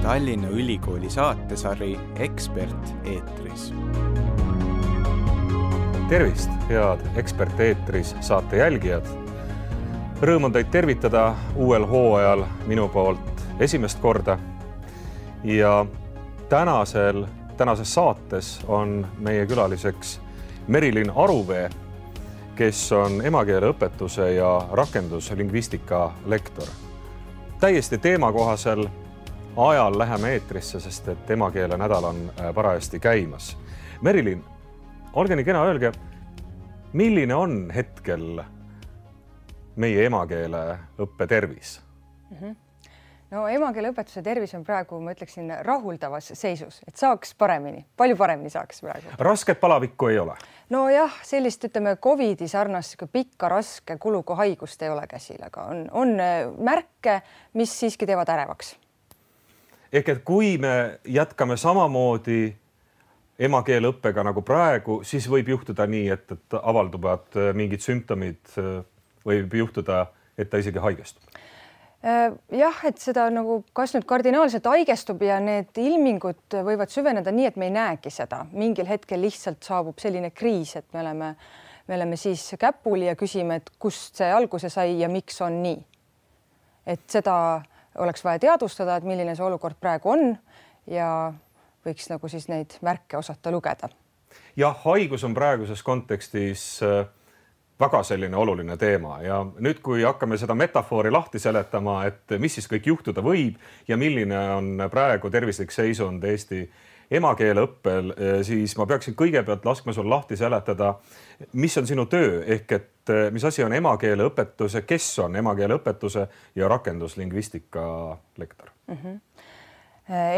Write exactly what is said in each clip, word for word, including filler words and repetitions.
Tallinna Ülikooli saatesari Ekspert eetris. Tervist, head Ekspert eetris saate jälgijad. Rõõm on teid tervitada uuel hooajal minu poolt esimest korda. Ja tänasel, tänases saates on meie külaliseks Merilin Aruvee, kes on emakeeleõpetuse ja rakenduslingvistika lektor. Täiesti teemakohasel ajal läheme eetrisse, sest et emakeele nädal on parajasti käimas. Merilin, olge nii kena, öelge, milline on hetkel meie emakeele õppe tervis? Mm-hmm. No emakeeleõpetuse tervis on praegu, ma ütleksin, rahuldavas seisus, et saaks paremini, palju paremini saaks praegu. Rasket palavikku ei ole? No jah, sellist, ütleme, Covidi sarnast pikka, raske kuluga haigust ei ole käsil, aga on, on märke, mis siiski teevad ärevaks. Ehk et kui me jätkame samamoodi emakeeleõppega nagu praegu, siis võib juhtuda nii, et, et avalduvad mingid sümptomid, võib juhtuda, et ta isegi haigestub. Jah, et seda nagu kas nüüd kardinaalselt haigestub ja need ilmingud võivad süveneda nii, et me ei näegi seda. Mingil hetkel lihtsalt saabub selline kriis, et me oleme, me oleme siis käpuli ja küsime, et kust see alguse sai ja miks on nii. Et seda oleks vaja teadvustada, et milline see olukord praegu on ja võiks nagu siis neid märke osata lugeda. Jah, haigus on praeguses kontekstis väga selline oluline teema ja nüüd, kui hakkame seda metafoori lahti seletama, et mis siis kõik juhtuda võib ja milline on praegu tervislik seisund Eesti emakeeleõppel, siis ma peaksin kõigepealt laskma sul lahti seletada, mis on sinu töö, ehk et mis asi on emakeeleõpetuse, kes on emakeeleõpetuse ja rakenduslingvistika lektor? Mm-hmm.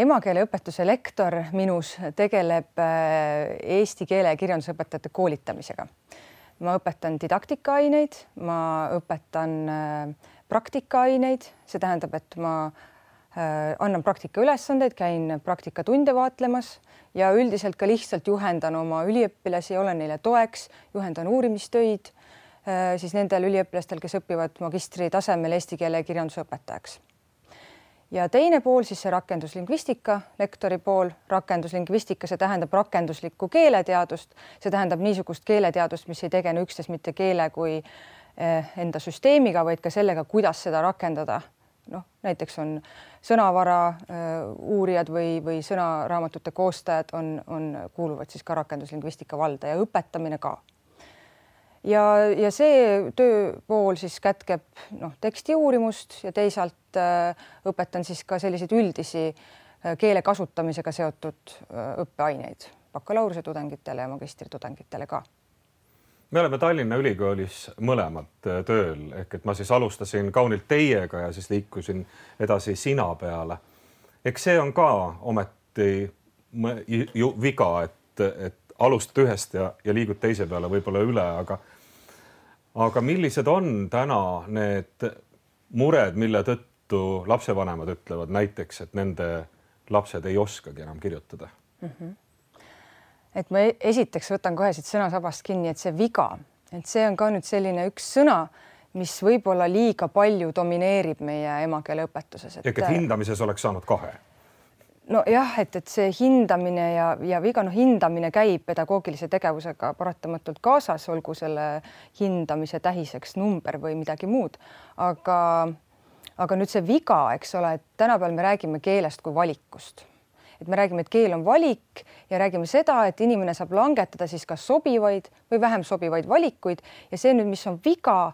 Emakeeleõpetuse lektor minus tegeleb eesti keele ja kirjandusõpetajate koolitamisega. Ma õpetan didaktika-aineid, ma õpetan praktikaaineid, see tähendab, et ma annan praktika ülesandeid, käin praktikatunde vaatlemas ja üldiselt ka lihtsalt juhendan oma üliõpilasi, olen neile toeks, juhendan uurimistöid siis nendel üliõpilastel, kes õpivad magistri tasemel eesti keele ja kirjandusõpetajaks. Ja teine pool, siis see rakenduslingvistika, lektori pool, rakenduslingvistika, see tähendab rakenduslikku keeleteadust, see tähendab niisugust keeleteadust, mis ei tegene üksnes mitte keele kui enda süsteemiga, vaid ka sellega, kuidas seda rakendada. No, näiteks on sõnavara uurijad või, või sõnaraamatute koostajad on, on, kuuluvad siis ka rakenduslingvistika valda ja õpetamine ka. Ja, ja see tööpool siis kätkeb noh, teksti uurimust ja teisalt äh, õpetan siis ka selliseid üldisi äh, keele kasutamisega seotud äh, õppeaineid bakalaureuse tudengitele ja magistri tudengitele ka. Me oleme Tallinna Ülikoolis mõlemad tööl, ehk et ma siis alustasin kaunilt teiega ja siis liikusin edasi sina peale. Eks see on ka ometi ju viga, et, et alustad ühest ja, ja liigud teise peale võib-olla üle, aga Aga millised on täna need mured, mille tõttu lapsevanemad ütlevad näiteks, et nende lapsed ei oskagi enam kirjutada? Mm-hmm. Et ma esiteks võtan kohe siit sõnasabast kinni, et see viga, et see on ka nüüd selline üks sõna, mis võib-olla liiga palju domineerib meie emakeeleõpetuses. Et... Ehk et hindamises oleks saanud kahe? No jah, et, et see hindamine ja, ja viga, no hindamine käib pedagoogilise tegevusega paratamatult kaasas, olgu selle hindamise tähiseks number või midagi muud. Aga, aga nüüd see viga, eks ole, et tänapäeval me räägime keelest kui valikust. Et me räägime, et keel on valik ja räägime seda, et inimene saab langetada siis kas sobivaid või vähem sobivaid valikuid ja see nüüd, mis on viga,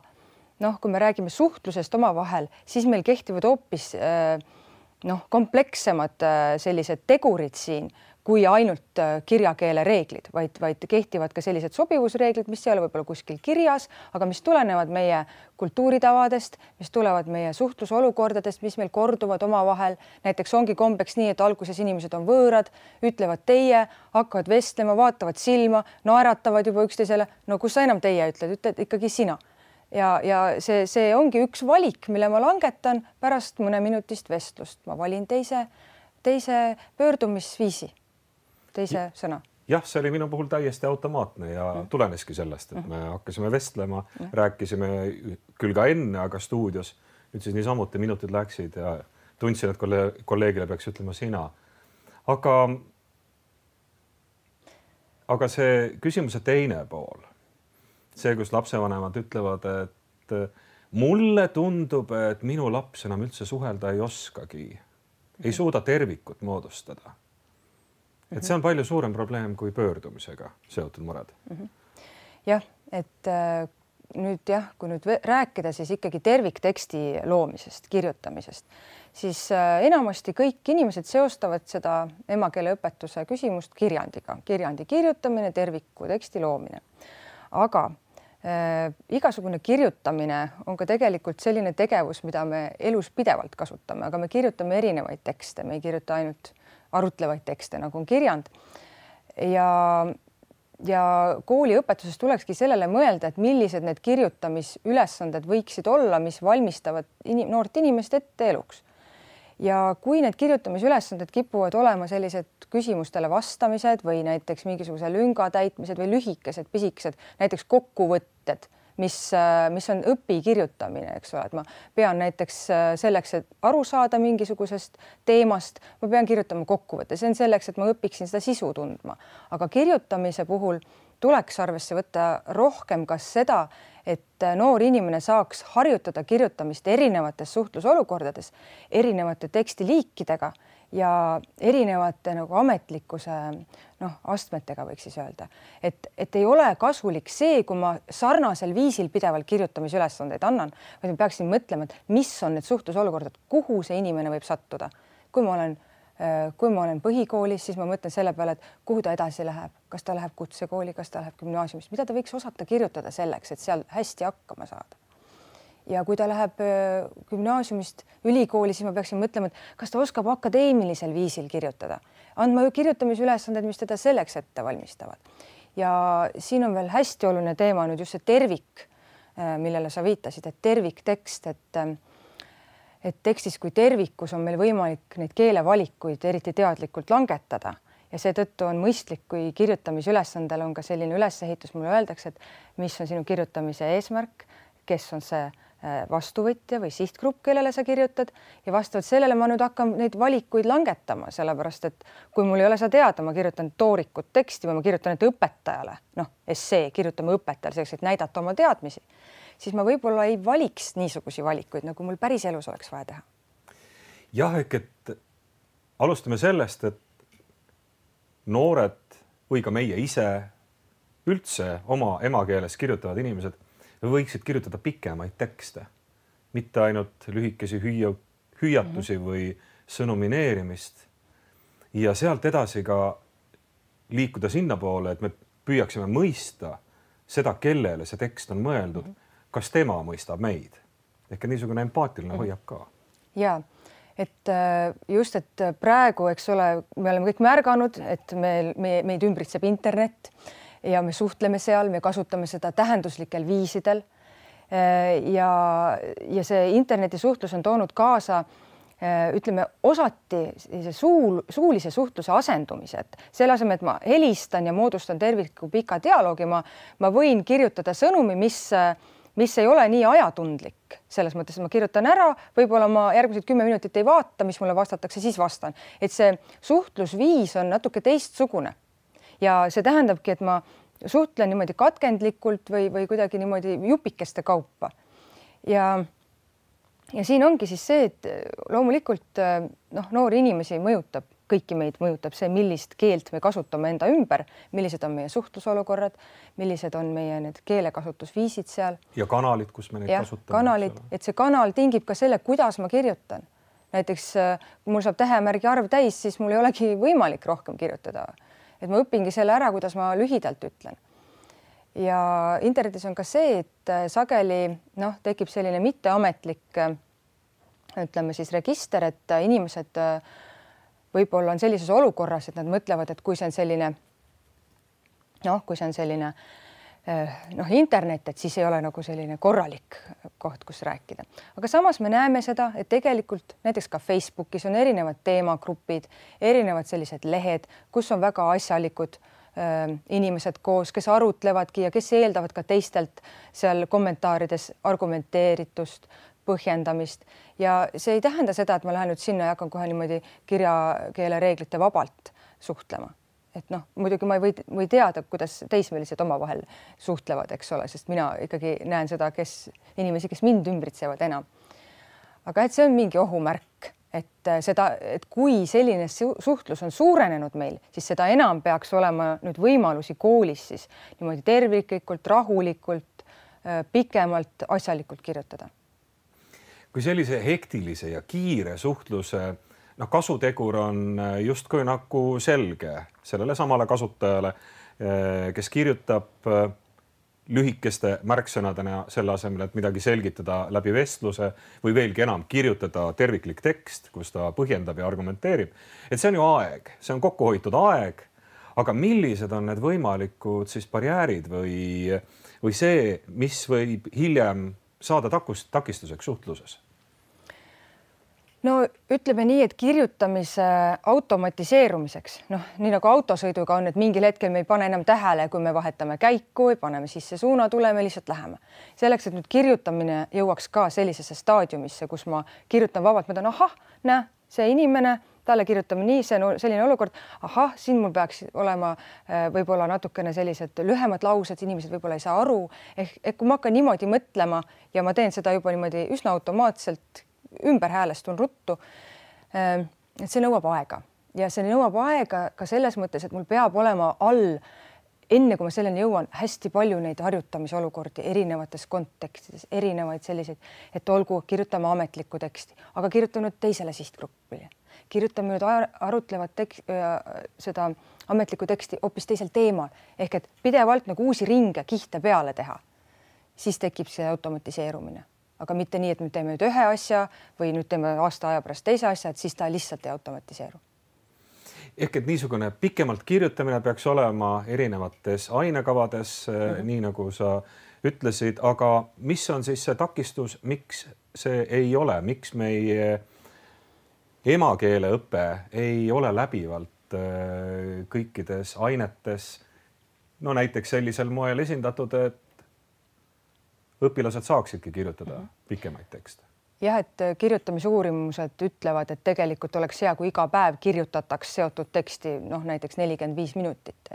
noh, kui me räägime suhtlusest omavahel, siis meil kehtivad hoopis äh, noh, komplekssemad sellised tegurid siin kui ainult kirjakeele reeglid, vaid, vaid kehtivad ka sellised sobivusreeglid, mis ei ole võib-olla kuskil kirjas, aga mis tulenevad meie kultuuritavadest, mis tulevad meie suhtlusolukordadest, mis meil korduvad omavahel. Näiteks ongi kombeks nii, et alguses inimesed on võõrad, ütlevad teie, hakkavad vestlema, vaatavad silma, naeratavad juba üksteisele. No kus sa enam teie ütled, ütled ikkagi sina. Ja, ja see, see ongi üks valik, mille ma langetan pärast mõne minutist vestlust. Ma valin teise, teise pöördumisviisi, teise sõna. Jah, see oli minu puhul täiesti automaatne ja mm. tuleneski sellest, et me hakkasime vestlema, mm. rääkisime küll ka enne, aga stuudios nüüd siis niisamuti minutid läksid ja tundsin, et kolleegile peaks ütlema sina. Aga, aga see küsimuse teine pool, see, kus lapsevanemad ütlevad, et mulle tundub, et minu laps enam üldse suhelda ei oskagi, ei suuda tervikut moodustada. Et see on palju suurem probleem kui pöördumisega seotud mured. Jah, et nüüd jah, kui nüüd rääkida siis ikkagi tervikteksti loomisest, kirjutamisest, siis enamasti kõik inimesed seostavad seda emakeeleõpetuse küsimust kirjandiga, kirjandi kirjutamine, terviku teksti loomine. Aga äh, igasugune kirjutamine on ka tegelikult selline tegevus, mida me elus pidevalt kasutame, aga me kirjutame erinevaid tekste, me ei kirjuta ainult arutlevaid tekste, nagu on kirjand. Ja, ja kooliõpetuses tulekski sellele mõelda, et millised need kirjutamisülesanded võiksid olla, mis valmistavad inim, noort inimest ette eluks. Ja kui need kirjutamisülesanded kipuvad olema sellised küsimustele vastamised või näiteks mingisuguse lünga täitmised või lühikesed, pisikesed, näiteks kokkuvõtted, mis, mis on õpi kirjutamine, eks ole, et ma pean näiteks selleks, et aru saada mingisugusest teemast, ma pean kirjutama kokkuvõtte, see on selleks, et ma õpiksin seda sisu tundma. Aga kirjutamise puhul tuleks arvesse võtta rohkem kas seda, et noor inimene saaks harjutada kirjutamist erinevates suhtlusolukordades, erinevate tekstiliikidega ja erinevate nagu ametlikkuse noh, astmetega võiks siis öelda. Et, et ei ole kasulik see, kui ma sarnasel viisil pidevalt kirjutamisülesandeid annan, vaid ma peaksin mõtlema, et mis on need suhtlusolukordad, kuhu see inimene võib sattuda. Kui ma olen, kui ma olen põhikoolis, siis ma mõtlen selle peale, et kuhu ta edasi läheb, kas ta läheb kutsekooli, kas ta läheb gümnaasiumist, mida ta võiks osata kirjutada selleks, et seal hästi hakkama saada. Ja kui ta läheb gümnaasiumist ülikooli, siis ma peaksin mõtlema, et kas ta oskab akadeemilisel viisil kirjutada. Andma kirjutamisülesanded, mis teda selleks ette valmistavad. Ja siin on veel hästi oluline teema nüüd just see tervik, millele sa viitasid, et terviktekst, et, et tekstis kui tervikus on meil võimalik neid keelevalikuid eriti teadlikult langetada. Ja seetõttu on mõistlik, kui kirjutamisülesandel on ka selline ülesehitus, mulle öeldakse, et mis on sinu kirjutamise eesmärk, kes on see vastuvõtja või sihtgrupp, kellele sa kirjutad ja vastavalt sellele ma nüüd hakkan neid valikuid langetama, sellepärast et kui mul ei ole seda teada, ma kirjutan toorikut teksti või ma kirjutan et õpetajale, noh, essee, kirjutame õpetajale selleks, et näidata oma teadmisi, siis ma võib-olla ei valiks niisugusi valikuid, nagu mul päris elus oleks vaja teha. Jah, ehk et alustame sellest, et noored või ka meie ise üldse oma emakeeles kirjutavad inimesed võiksid kirjutada pikemaid tekste, mitte ainult lühikesi hüüa, hüüatusi mm-hmm. või sõnumineerimist ja sealt edasi ka liikuda sinna poole, et me püüaksime mõista seda, kellele see tekst on mõeldud, mm-hmm. kas tema mõistab meid. Ehk niisugune empaatiline mm-hmm. hoiab ka. Ja, et just, et praegu, eks ole, me oleme kõik märganud, et meil, me, meid ümbritseb internet ja me suhtleme seal, me kasutame seda tähenduslikel viisidel ja, ja see internetisuhtlus on toonud kaasa, ütleme, osati suul, suulise suhtluse asendumise, et selle asemel, et ma helistan ja moodustan tervikliku pika dialoogi, ma, ma võin kirjutada sõnumi, mis, mis ei ole nii ajatundlik. Selles mõttes, et ma kirjutan ära, võib-olla ma järgmised kümme minutit ei vaata, mis mulle vastatakse, siis vastan. Et see suhtlusviis on natuke teistsugune. Ja see tähendabki, et ma suhtlen niimoodi katkendlikult või, või kuidagi niimoodi jupikeste kaupa. Ja, ja siin ongi siis see, et loomulikult noh, noori inimesi mõjutab, kõiki meid mõjutab see, millist keelt me kasutame enda ümber, millised on meie suhtlusolukorrad, millised on meie need keelekasutusviisid seal. Ja kanalid, kus me neid ja, kasutame. Kanalid, et see kanal tingib ka selle, kuidas ma kirjutan. Näiteks kui mul saab tähemärgi arv täis, siis mul ei olegi võimalik rohkem kirjutada. Et ma õpingi selle ära, kuidas ma lühidalt ütlen. Ja internetis on ka see, et sageli noh, tekib selline mitteametlik, ütleme siis register, et inimesed võib-olla on sellises olukorras, et nad mõtlevad, et kui see on selline, noh, kui see on selline noh, internet, et siis ei ole nagu selline korralik koht, kus rääkida. Aga samas me näeme seda, et tegelikult näiteks ka Facebookis on erinevad teemagrupid, erinevad sellised lehed, kus on väga asjalikud äh, inimesed koos, kes arutlevadki ja kes eeldavad ka teistelt seal kommentaarides argumenteeritust, põhjendamist ja see ei tähenda seda, et ma lähen nüüd sinna ja hakkan kohe niimoodi kirjakeele reeglite vabalt suhtlema. Et noh, muidugi ma ei või, või teada, kuidas teismelised omavahel suhtlevad, eks ole, sest mina ikkagi näen seda, kes inimesi, kes mind ümbritsevad enam. Aga et see on mingi ohumärk, et seda, et kui selline suhtlus on suurenenud meil, siis seda enam peaks olema nüüd võimalusi koolis siis niimoodi terviklikult, rahulikult, pikemalt, asjalikult kirjutada. Kui sellise hektilise ja kiire suhtluse no, kasutegur on justkui nagu selge sellele samale kasutajale, kes kirjutab lühikeste märksõnadena selle asemel, et midagi selgitada läbi vestluse või veelgi enam kirjutada terviklik tekst, kus ta põhjendab ja argumenteerib. Et see on ju aeg, see on kokkuhoitud aeg, aga millised on need võimalikud siis barjäärid või, või see, mis võib hiljem saada takust, takistuseks suhtluses? No ütleme nii, et kirjutamise automatiseerumiseks, noh, nii nagu autosõiduga on, et mingil hetkel me ei pane enam tähele, kui me vahetame käiku või paneme sisse suunatule, me lihtsalt läheme. Selleks, et nüüd kirjutamine jõuaks ka sellisesse staadiumisse, kus ma kirjutan vabalt, ma tahan, ahah, näe, see inimene, talle kirjutame nii, see on selline olukord, ahah, siin mul peaks olema võib-olla natukene sellised lühemad laused, inimesed võib-olla ei saa aru, ehk, ehk kui ma hakkan niimoodi mõtlema ja ma teen seda juba niimoodi üsna automaatselt, ümber häälestun ruttu, et see nõuab aega ja see nõuab aega ka selles mõttes, et mul peab olema all, enne kui ma selleni jõuan, hästi palju neid harjutamise olukordi erinevates kontekstides, erinevaid selliseid, et olgu, kirjutame ametlikku teksti, aga kirjutame nüüd teisele sihtgrupile. Kirjutame nüüd arutlevat tekst, seda ametlikku teksti hoopis teisel teemal, ehk et pidevalt nagu uusi ringe, kihte peale teha, siis tekib see automatiseerumine. Aga mitte nii, et nüüd teeme nüüd ühe asja või nüüd teeme aasta aja pärast teise asja, et siis ta lihtsalt ei automatiseeru. Ehk et niisugune pikemalt kirjutamine peaks olema erinevates ainekavades, mm-hmm. nii nagu sa ütlesid, aga mis on siis see takistus, miks see ei ole, miks meie emakeele õpe ei ole läbivalt kõikides ainetes, no näiteks sellisel moel esindatud, et õpilased saaksidki kirjutada pikemaid tekste. Jah, et kirjutamisuurimused ütlevad, et tegelikult oleks hea, kui iga päev kirjutataks seotud teksti, noh näiteks nelikümmend viis minutit.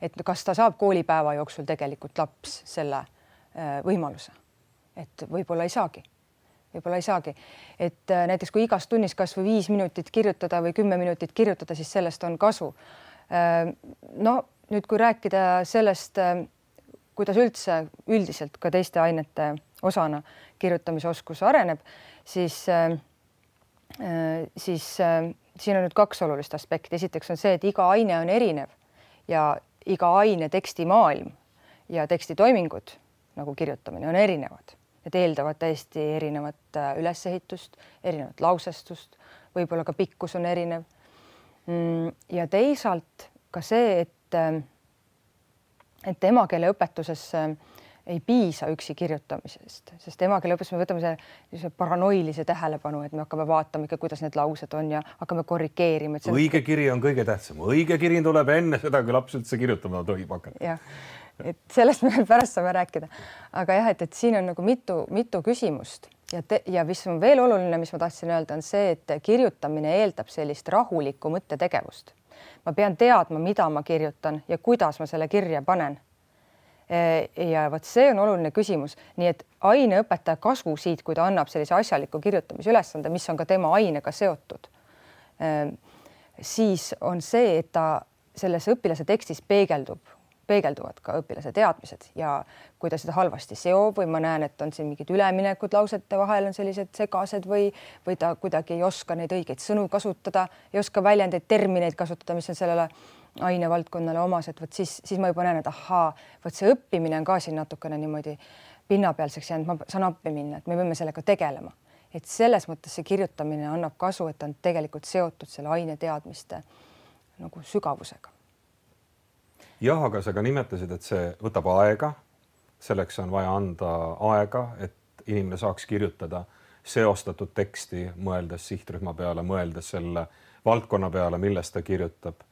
Et kas ta saab koolipäeva jooksul tegelikult laps selle võimaluse? Et võib-olla ei saagi. Võib-olla ei saagi. Et näiteks kui igas tunnis kas või viis minutit kirjutada või kümme minutit kirjutada, siis sellest on kasu. No nüüd, kui rääkida sellest, kuidas üldse üldiselt ka teiste ainete osana kirjutamisoskus areneb, siis, siis siin on nüüd kaks olulist aspekti. Esiteks on see, et iga aine on erinev ja iga aine tekstimaailm ja tekstitoimingud, nagu kirjutamine, on erinevad. Need eeldavad täiesti erinevat ülesehitust, erinevat lausestust, võib-olla ka pikkus on erinev. Ja teisalt ka see, et et emakeele õpetuses ei piisa üksi kirjutamisest, sest emakeele õpetuses me võtame see paranoilise tähelepanu, et me hakkame vaatama ikka, kuidas need laused on ja hakkame korrigeerima. Et õige on... kiri on kõige tähtsam. Õige kiri tuleb enne seda, kui laps üldse kirjutama tohib hakata. Jah, et sellest me pärast saame rääkida. Aga jah, et, et siin on nagu mitu, mitu küsimust ja, te, ja mis on veel oluline, mis ma tahtsin öelda, on see, et kirjutamine eeldab sellist rahulikku mõttetegevust. Ma pean teadma, mida ma kirjutan ja kuidas ma selle kirja panen. Ja võt see on oluline küsimus. Nii et aineõpetaja kasu siit, kui ta annab sellise asjaliku kirjutamise ülesande, mis on ka tema ainega seotud, siis on see, et ta selles õpilase tekstis peegeldub, peegelduvad ka õpilase teadmised ja kui ta seda halvasti seob või ma näen, et on siin mingid üleminekud lausete vahel on sellised segased või, või ta kuidagi ei oska neid õigeid sõnu kasutada, ei oska väljendeid, termineid kasutada, mis on sellele ainevaldkonnale omased, võt siis, siis ma juba näen, et ahaa, võt see õppimine on ka siin natukene niimoodi pinnapealseks jäänud, ma saan appi minna, et me võime sellega tegelema. Et selles mõttes see kirjutamine annab kasu, et on tegelikult seotud selle aine teadmiste nagu sügavusega. Jah, aga sa ka nimetasid, et see võtab aega. Selleks on vaja anda aega, et inimene saaks kirjutada seostatud teksti, mõeldes sihtrühma peale, mõeldes selle valdkonna peale, millest ta kirjutab.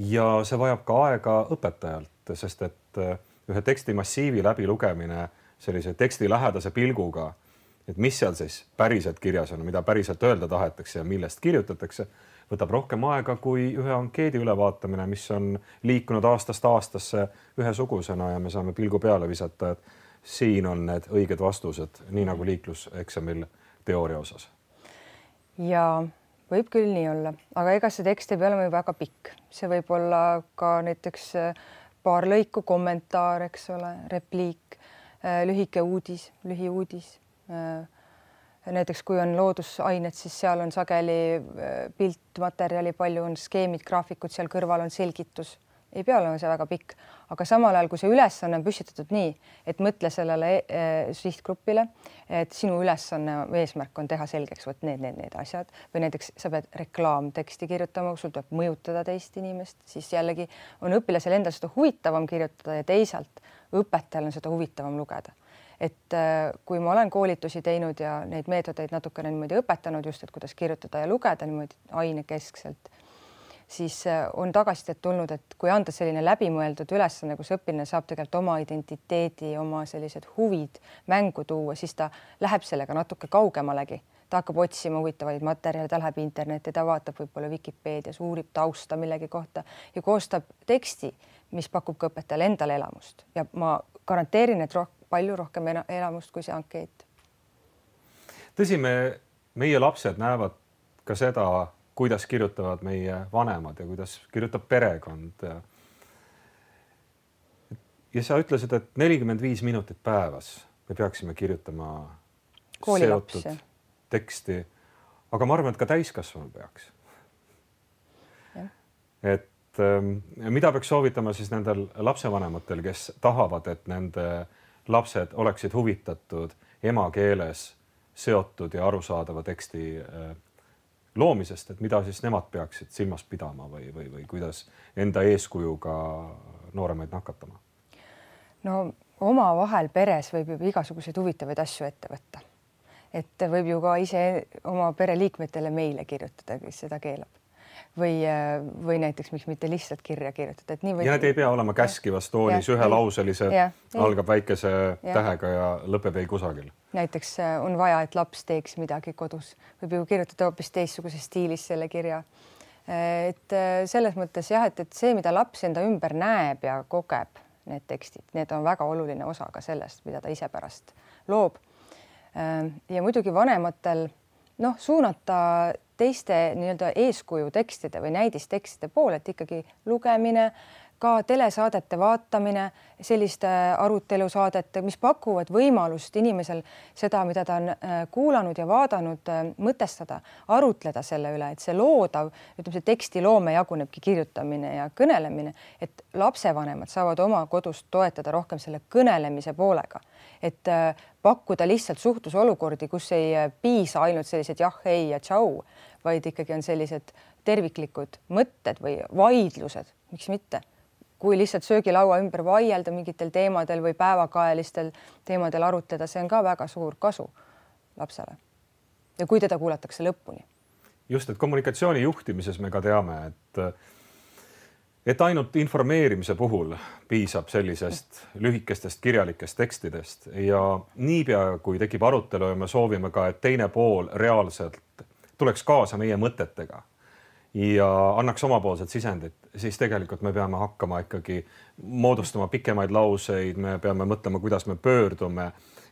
Ja see vajab ka aega õpetajalt, sest et ühe teksti massiivi läbi lugemine sellise teksti lähedase pilguga et mis seal siis päriselt kirjas on, mida päriselt öelda tahetakse ja millest kirjutatakse, võtab rohkem aega kui ühe ankeedi ülevaatamine, mis on liikunud aastast aastasse ühesugusena ja me saame pilgu peale visata, et siin on need õiged vastused, nii nagu liikluseksamil teooria osas. Ja võib küll nii olla, aga ega see tekst ei pea olema väga pikk. See võib olla ka näiteks paar lõiku, kommentaar, eks ole, repliik, lühike uudis, lühiuudis. Näiteks kui on loodusained, siis seal on sageli piltmaterjali, palju on skeemid, graafikud, seal kõrval on selgitus. Ei pea olema see väga pikk, aga samal ajal, kui see ülesanne on püstitatud nii, et mõtle sellele sihtgrupile, et sinu ülesanne eesmärk on teha selgeks, võt need, need, need asjad või näiteks sa pead reklaamteksti kirjutama, sul tuleb mõjutada teist inimest, siis jällegi on õpilasel endal seda huvitavam kirjutada ja teisalt õpetajal on seda huvitavam lugeda. Et kui ma olen koolitusi teinud ja neid meetodeid natukene niimoodi õpetanud just, et kuidas kirjutada ja lugeda niimoodi ainekeskselt, siis on tagasisidet tulnud, et kui anda selline läbimõeldud ülesanne, kus õpilane saab tegelikult oma identiteedi, oma sellised huvid mängu tuua, siis ta läheb sellega natuke kaugemalegi. Ta hakkab otsima huvitavaid materjale, ta läheb internetti, ta vaatab võib-olla Wikipeedias, uurib tausta millegi kohta ja koostab teksti, mis pakub ka õpetajale endale elamust. Ja ma garanteerin, et roh palju rohkem elamust kui see ankeet. Tõsi, me, meie lapsed näevad ka seda, kuidas kirjutavad meie vanemad ja kuidas kirjutab perekond. Ja, ja sa ütlesid, et nelikümmend viis minutit päevas me peaksime kirjutama seotud teksti, aga ma arvan, et ka täiskasvanu peaks. Ja. Et mida peaks soovitama siis nendel lapsevanematel, kes tahavad, et nende lapsed oleksid huvitatud emakeeles seotud ja arusaadava teksti loomisest, et mida siis nemad peaksid silmas pidama või, või, või kuidas enda eeskujuga nooremaid nakatama? No oma vahel peres võib juba igasuguseid huvitavaid asju ette võtta. Et võib ju ka ise oma pereliikmetele meile kirjutada, kes seda keelab. Või, või näiteks miks mitte lihtsalt kirja kirjutada. Et nii või... Ja need ei pea olema käskivas toonis, ühe lauselised, algab väikese ja. tähega ja lõpeb ei kusagil. Näiteks on vaja, et laps teeks midagi kodus. Võib ju kirjutada hoopis teistsuguses stiilis selle kirja. Et selles mõttes jah, et, et see, mida laps enda ümber näeb ja kogeb, need tekstid, need on väga oluline osa ka sellest, mida ta ise pärast loob. Ja muidugi vanematel noh, suunata teiste nii-öelda eeskuju tekstide või näidistekstide poole, et ikkagi lugemine, ka telesaadete vaatamine, selliste arutelusaadete, mis pakuvad võimalust inimesel seda, mida ta on kuulanud ja vaadanud, mõtestada, arutleda selle üle, et see loodav, ütleme, see tekstiloome jagunebki kirjutamine ja kõnelemine, et lapsevanemad saavad oma kodust toetada rohkem selle kõnelemise poolega, et pakkuda lihtsalt suhtlusolukordi, kus ei piisa ainult sellised jah, ei ja tšau, vaid ikkagi on sellised terviklikud mõtted või vaidlused, miks mitte. Kui lihtsalt söögilaua ümber vaielda mingitel teemadel või päevakaelistel teemadel arutleda, see on ka väga suur kasu lapsele. Ja kui teda kuulatakse lõpuni. Just, et kommunikatsiooni juhtimises me ka teame, et, et ainult informeerimise puhul piisab sellisest lühikestest kirjalikest tekstidest ja niipea, kui tekib arutelu ja me soovime ka, et teine pool reaalselt tuleks kaasa meie mõtetega ja annaks omapoolset sisendit, siis tegelikult me peame hakkama ikkagi moodustama pikemaid lauseid, me peame mõtlema, kuidas me pöördume,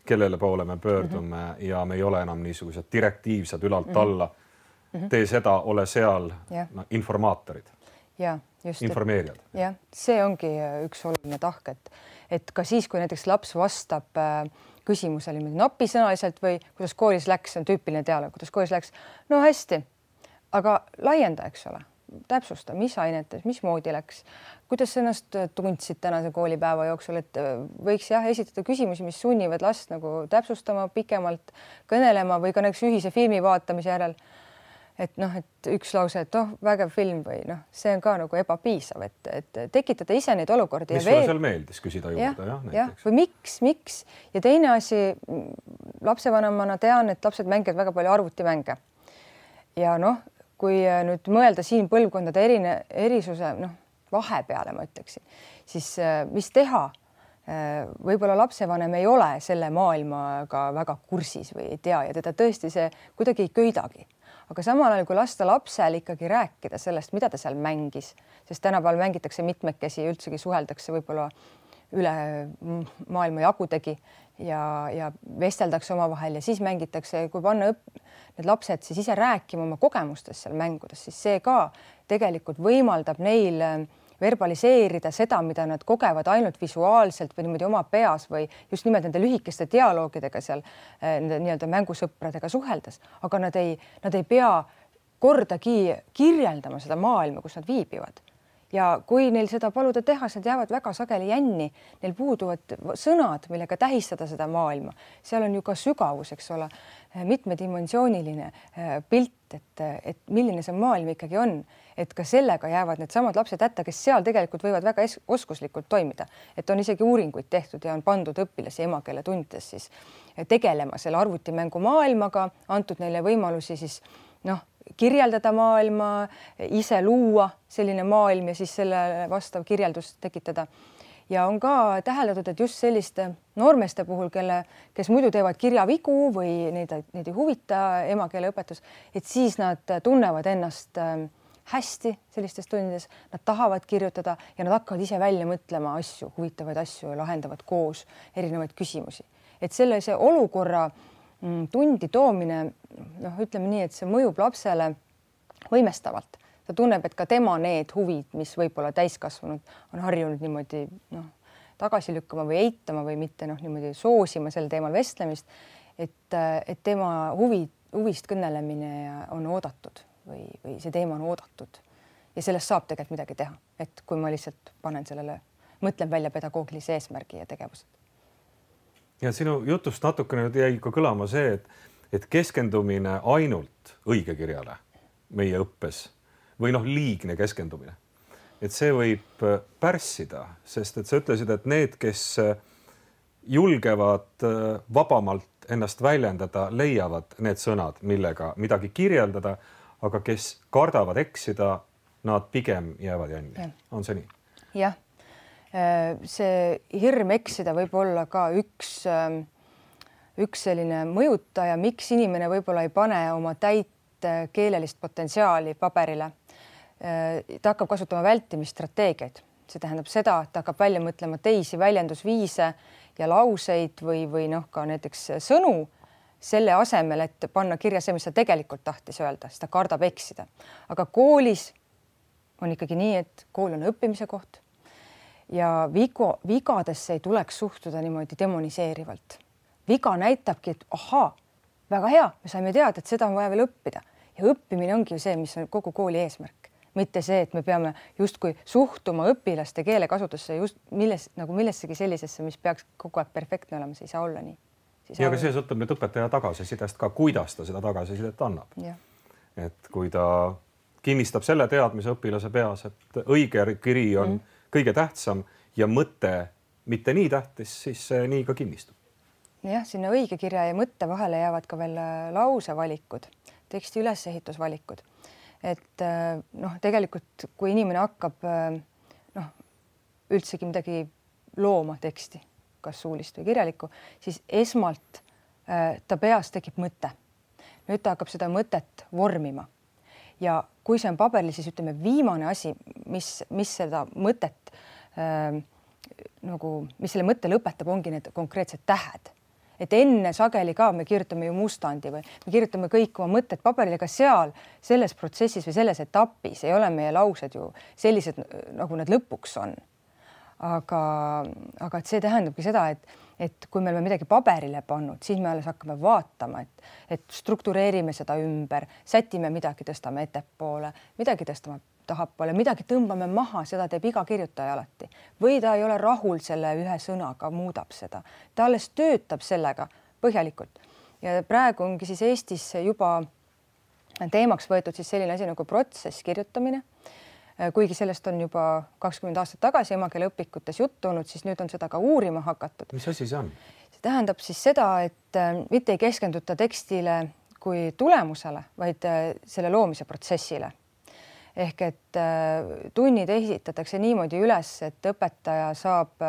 kellele poole me pöördume mm -hmm. ja me ei ole enam niisugused direktiivsed ülalt alla. Mm -hmm. Tee seda, ole seal, yeah. no, informaatorid, ja, just, informeerijad. Jah, see ongi üks oluline tahk, et, et ka siis, kui näiteks laps vastab äh, küsimusele napisõnaliselt või kuidas koolis läks, on tüüpiline teale, kuidas koolis läks, no hästi, aga laienda, eks ole, täpsusta, mis ainetes, mis moodi läks, kuidas ennast tundsid tänase koolipäeva jooksul, et võiks jah esitada küsimusi, mis sunnivad last nagu täpsustama, pikemalt kõnelema või ka näiteks ühise filmi vaatamise järel. Et noh, et üks lause, et oh, vägev film või noh, see on ka nagu ebapiisav, et, et tekitada ise neid olukordi. Mis sulle seal meeldis küsida juurde, jah, jah, jah, või miks, miks ja teine asi, lapsevanemana tean, et lapsed mängivad väga palju arvutimänge ja noh, kui nüüd mõelda siin põlvkondade erine, erisuse noh, vahe peale, ma ütleksin, siis mis teha võib-olla lapsevanem ei ole selle maailmaga väga kursis või ei tea ja teda tõesti see kuidagi ei köidagi. Aga samal ajal, kui lasta lapsel ikkagi rääkida sellest, mida ta seal mängis, sest tänapäeval mängitakse mitmekesi ja üldsegi suheldakse võib-olla üle maailma jagudegi ja, ja vesteldakse omavahel ja siis mängitakse, kui panna õpp, need lapsed siis ise rääkima oma kogemustest seal mängudes, siis see ka tegelikult võimaldab neil verbaliseerida seda, mida nad kogevad ainult visuaalselt või niimoodi oma peas või just nimelt nende lühikeste dialoogidega seal nende nii-öelda mängusõpradega suheldes, aga nad ei, nad ei pea kordagi kirjeldama seda maailma, kus nad viibivad. Ja kui neil seda paluda teha, siis nad jäävad väga sageli jänni, neil puuduvad sõnad, millega tähistada seda maailma. Seal on ju ka sügavus, eks ole, mitmedimensiooniline pilt, et, et milline see maailm ikkagi on, et ka sellega jäävad need samad lapsed hätta, kes seal tegelikult võivad väga oskuslikult toimida, et on isegi uuringuid tehtud ja on pandud õpilasi emakeele tundides siis tegelema selle arvutimängu maailmaga, antud neile võimalusi siis noh, kirjeldada maailma, ise luua selline maailm ja siis selle vastav kirjeldus tekitada. Ja on ka täheldatud, et just selliste noormeste puhul, kelle, kes muidu teevad kirjavigu või neid, neid ei huvita emakeeleõpetus, et siis nad tunnevad ennast hästi sellistes tundides, nad tahavad kirjutada ja nad hakkavad ise välja mõtlema asju, huvitavaid asju ja lahendavad koos erinevaid küsimusi. Et selle see olukorra tundi toomine, noh, ütleme nii, et see mõjub lapsele võimestavalt. Ta tunneb, et ka tema need huvid, mis võib-olla täiskasvanud on harjunud niimoodi noh, tagasi lükkama või eitama või mitte noh, niimoodi soosima sel teemal vestlemist, et, et tema huvi, huvist kõnelemine on oodatud või, või see teema on oodatud ja sellest saab tegelikult midagi teha, et kui ma lihtsalt panen sellele, mõtlen välja pedagoogilise eesmärgi ja tegevused. Ja sinu jutust natukene jäi ka kõlama see, et, et keskendumine ainult õigekirjale meie õppes või noh, liigne keskendumine. Et see võib pärssida, sest et sa ütlesid, et need, kes julgevad vabamalt ennast väljendada, leiavad need sõnad, millega midagi kirjeldada, aga kes kardavad eksida, nad pigem jäävad jänni. Ja. On see nii? Jah. See hirm eksida võib olla ka üks, üks selline mõjutaja, miks inimene võib-olla ei pane oma täit keelelist potentsiaali paberile. Ta hakkab kasutama vältimisstrateegiaid. See tähendab seda, et ta hakkab välja mõtlema teisi väljendusviise ja lauseid või, või noh, ka näiteks sõnu selle asemel, et panna kirja see, mis ta tegelikult tahtis öelda, sest ta kardab eksida. Aga koolis on ikkagi nii, et kool on õppimise koht. Ja vigo, vigadesse ei tuleks suhtuda niimoodi demoniseerivalt. Viga näitabki, et ahaa, väga hea, me saime teada, et seda on vaja veel õppida. Ja õppimine ongi ju see, mis on kogu kooli eesmärk. Mitte see, et me peame justkui suhtuma õpilaste keelekasutusse just milles, nagu millessegi sellisesse, mis peaks kogu aeg perfektne olema, see ei saa olla nii. Ja aga see sõltub nüüd õpetaja tagasisidest ka, kuidas ta seda tagasisidet annab. Ja. Et kui ta kinnistab selle teadmise õpilase peas, et õige kiri on mm. kõige tähtsam ja mõte mitte nii tähtis, siis see nii ka kinnistub. Jah, sinna õige kirja ja mõtte vahele jäävad ka veel lausevalikud, teksti ülesehitusvalikud. Et noh, tegelikult kui inimene hakkab noh, üldsegi midagi looma teksti, kas suulist või kirjalikku, siis esmalt ta peas tekib mõte. Nüüd ta hakkab seda mõtet vormima. Ja kui see on paberil, siis ütleme viimane asi, mis, mis seda mõtet äh, nagu, mis selle mõtte lõpetab, ongi need konkreetsed tähed. Et enne sageli ka me kirjutame ju mustandi või me kirjutame kõik oma mõtted paberile, aga seal selles protsessis või selles etapis ei ole meie laused ju sellised, nagu nad lõpuks on. Aga, aga et see tähendabki seda, et, et kui me oleme midagi paberile pannud, siis me alles hakkame vaatama, et, et struktureerime seda ümber, sätime midagi, tõstame ettepoole, midagi tõstame tahapoole, midagi tõmbame maha, seda teeb iga kirjutaja alati. Või ta ei ole rahul selle ühe sõnaga, muudab seda. Ta alles töötab sellega põhjalikult. Ja praegu ongi siis Eestis juba teemaks võetud siis selline asi nagu protsess kirjutamine. Kuigi sellest on juba kakskümmend aastat tagasi emakeele õpikutes juttu olnud, siis nüüd on seda ka uurima hakatud. Mis asi see on? See tähendab siis seda, et mitte ei keskenduta tekstile kui tulemusele, vaid selle loomise protsessile. Ehk et tunnid esitatakse niimoodi üles, et õpetaja saab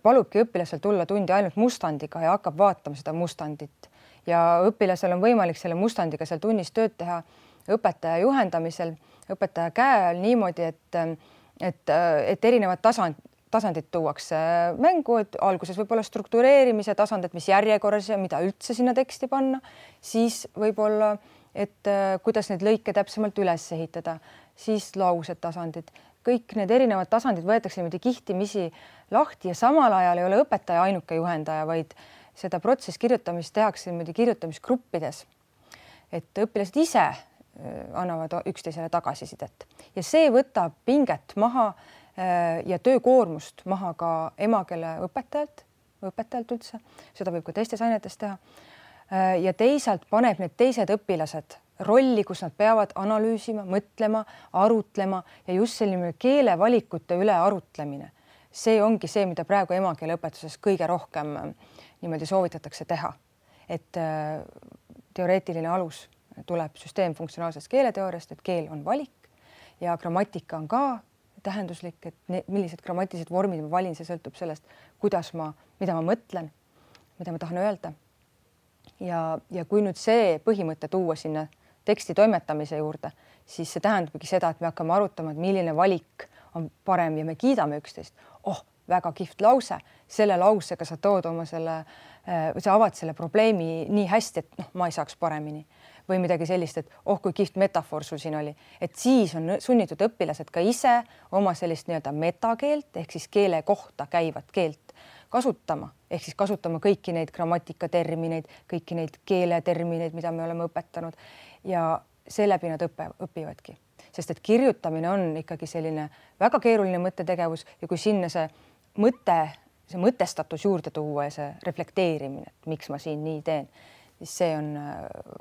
palubki õpilasel tulla tundi ainult mustandiga ja hakkab vaatama seda mustandit ja õpilasel on võimalik selle mustandiga seal tunnis tööd teha õpetaja juhendamisel, õpetaja käe all niimoodi, et, et, et erinevad tasand, tasandid tuuakse mängu, et alguses võib-olla struktureerimise tasandid, mis järjekorras ja mida üldse sinna teksti panna, siis võib-olla, et kuidas neid lõike täpsemalt üles ehitada, siis laused tasandid. Kõik need erinevad tasandid võetakse niimoodi kihtimisi lahti ja samal ajal ei ole õpetaja ainuke juhendaja, vaid seda protsess kirjutamist tehakse niimoodi kirjutamisgruppides, et õpilased ise annavad üksteisele tagasisidet ja see võtab pinget maha ja töökoormust maha ka emakeele õpetajalt, õpetajalt üldse, seda võib ka teistes ainetes teha. Ja teisalt paneb need teised õpilased rolli, kus nad peavad analüüsima, mõtlema, arutlema ja just selline keelevalikute üle arutlemine. See ongi see, mida praegu emakeele õpetuses kõige rohkem niimoodi soovitatakse teha. Et teoreetiline alus tuleb süsteemfunktsionaalsest keeleteooriast, et keel on valik ja grammatika on ka tähenduslik, et millised grammatilised vormid ma valin, see sõltub sellest, kuidas ma, mida ma mõtlen, mida ma tahan öelda. Ja, ja kui nüüd see põhimõte tuua sinna teksti toimetamise juurde, siis see tähendabki seda, et me hakkame arutama, et milline valik on parem ja me kiidame üksteist. Oh, väga kihvt lause. Selle lausega sa tood oma selle, või sa avad selle probleemi nii hästi, et noh, ma ei saaks paremini. Või midagi sellist, et oh, kui kihvt metafoor sul siin oli. Et siis on sunnitud õpilased ka ise oma sellist nii-öelda metakeelt, ehk siis keele kohta käivat keelt kasutama. Ehk siis kasutama kõiki neid grammatikatermineid, kõiki neid keeletermineid, mida me oleme õpetanud ja seeläbi nad õppe, õpivadki. Sest et kirjutamine on ikkagi selline väga keeruline mõttetegevus ja kui sinna see mõte, see mõtestatus juurde tuua ja see reflekteerimine, et miks ma siin nii teen, siis see on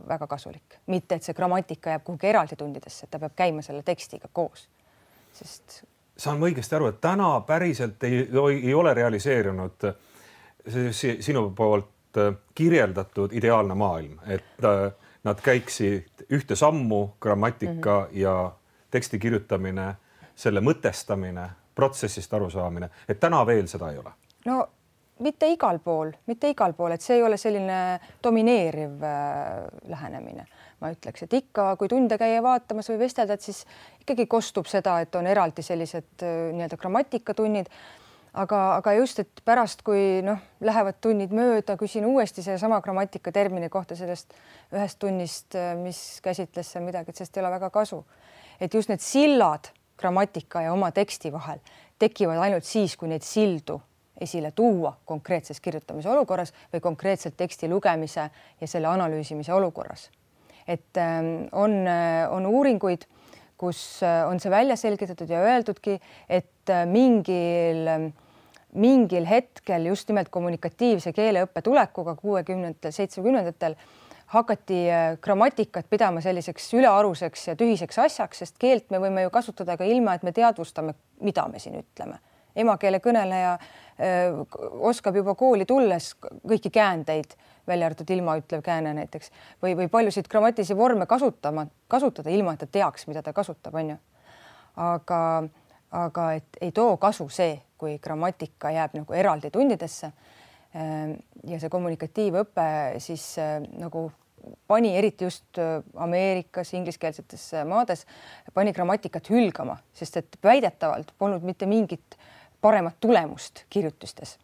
väga kasulik. Mitte, et see grammatika jääb kuhugi eraldi tundidesse, et ta peab käima selle tekstiga koos. Sest... Saan ma õigesti aru, et täna päriselt ei, ei ole realiseerunud sinu poolt kirjeldatud ideaalne maailm, et nad käiksid ühte sammu grammatika mm-hmm. ja teksti kirjutamine, selle mõtestamine, protsessist arusaamine, et täna veel seda ei ole? No mitte igal pool, mitte igal pool, et see ei ole selline domineeriv lähenemine. Ma ütleks, et ikka, kui tunde käia vaatamas või vestelda, et siis ikkagi kostub seda, et on eraldi sellised nii-öelda grammatikatunnid, aga, aga just, et pärast, kui noh, lähevad tunnid mööda, küsin uuesti selle sama grammatikatermini kohta sellest ühest tunnist, mis käsitles seal midagi, et sest ei ole väga kasu. Et just need sillad grammatika ja oma teksti vahel tekivad ainult siis, kui neid sildu esile tuua konkreetses kirjutamise olukorras või konkreetselt teksti lugemise ja selle analüüsimise olukorras. Et on, on uuringuid, kus on see välja selgitatud ja öeldudki, et mingil, mingil hetkel just nimelt kommunikatiivse keeleõppe tulekuga kuuekümnendatel, seitsmekümnendatel hakati grammatikat pidama selliseks ülearuseks ja tühiseks asjaks, sest keelt me võime ju kasutada ka ilma, et me teadvustame, mida me siin ütleme. Emakeele kõneleja öö, oskab juba kooli tulles kõiki käändeid, välja arvatud ilma ütlev kääne näiteks, või, või paljusid grammatilisi vorme kasutama, kasutada ilma, et ta teaks, mida ta kasutab, on ju. Aga, aga et ei too kasu see, kui grammatika jääb nagu eraldi tundidesse ja see kommunikatiivõpe siis nagu pani eriti just Ameerikas, ingliskeelsetes maades, pani grammatikat hülgama, sest et väidetavalt polnud mitte mingit paremat tulemust kirjutustes.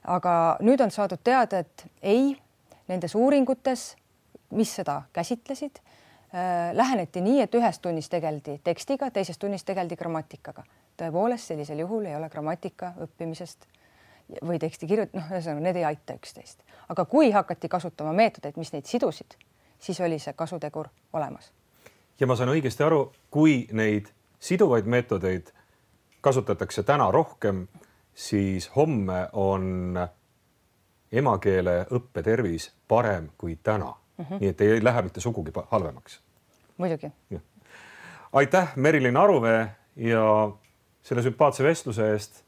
Aga nüüd on saadud teada, et ei, nendes uuringutes, mis seda käsitlesid, äh, läheneti nii, et ühes tunnis tegeldi tekstiga, teises tunnis tegeldi grammatikaga. Tõepoolest, sellisel juhul ei ole grammatika õppimisest või teksti kirjut-, noh, need ei aita üksteist. Aga kui hakati kasutama meetodeid, mis neid sidusid, siis oli see kasutegur olemas. Ja ma saan õigesti aru, kui neid siduvaid meetodeid kasutatakse täna rohkem, siis homme on emakeele õppetervis parem kui täna. Mm-hmm. Nii et ei lähe mitte sugugi halvemaks. Muidugi. Ja. Aitäh, Merilin Aruvee ja selle sümpaatse vestluse eest.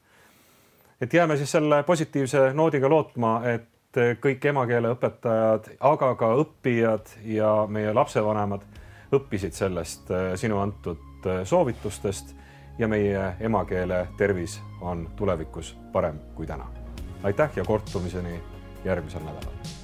Et jääme siis selle positiivse noodiga lootma, et kõik emakeele õpetajad, aga ka õppijad ja meie lapsevanemad õppisid sellest sinu antud soovitustest ja meie emakeele tervis on tulevikus parem kui täna. Aitäh ja kohtumiseni järgmisel nädalal!